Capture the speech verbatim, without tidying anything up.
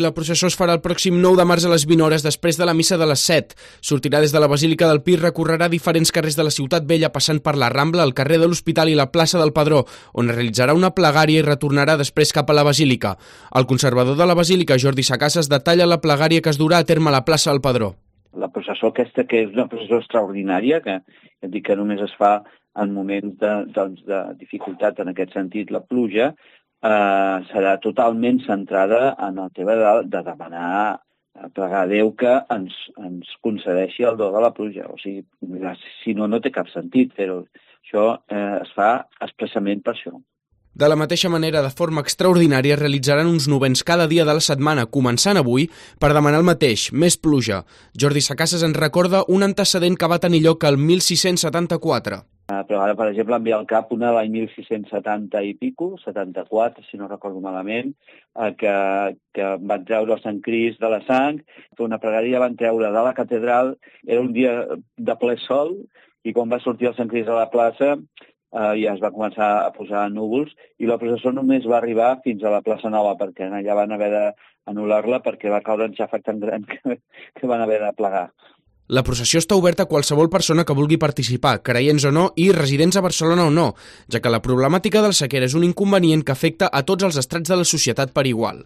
La processó es farà el pròxim nou de març a les vint hores després de la missa de les set. Sortirà des de la Basílica del Pi i recorrerà diferents carrers de la Ciutat Vella passant per la Rambla, el carrer de l'Hospital i la plaça del Pedró, on realitzarà una plegària i retornarà després cap a la Basílica. El conservador de la Basílica, Jordi Sacasas, detalla la plegària que es durà a terme a la plaça del Pedró. La processó aquesta, que és una processó extraordinària, que et dic que només es fa en moments de, doncs, de dificultat, en aquest sentit, la pluja, eh, serà totalment centrada en el tema de, de demanar, pregar a Déu que ens, ens concedeixi el do de la pluja. O sigui, si no, no té cap sentit fer-ho. Això eh, es fa expressament per això. De la mateixa manera, de forma extraordinària, realitzaran uns novens cada dia de la setmana, començant avui, per demanar el mateix, més pluja. Jordi Sacasas ens recorda un antecedent que va tenir lloc el mil sis-cents setanta-quatre. Però ara, per exemple, em ve al cap una de l'any mil sis-cents setanta i pico, setanta-quatre, si no recordo malament, que, que van treure el Sant Crist de la sang, fer una pregària, van treure de la catedral, era un dia de ple sol, i quan va sortir el Sant Crist a la plaça, eh, ja es va començar a posar núvols, i la processó només va arribar fins a la plaça Nova, perquè allà van haver d'anul·lar-la perquè va caure un xàfec tan gran que, que van haver de plegar. La processió està oberta a qualsevol persona que vulgui participar, creients o no i residents a Barcelona o no, ja que la problemàtica del sequera és un inconvenient que afecta a tots els estrats de la societat per igual.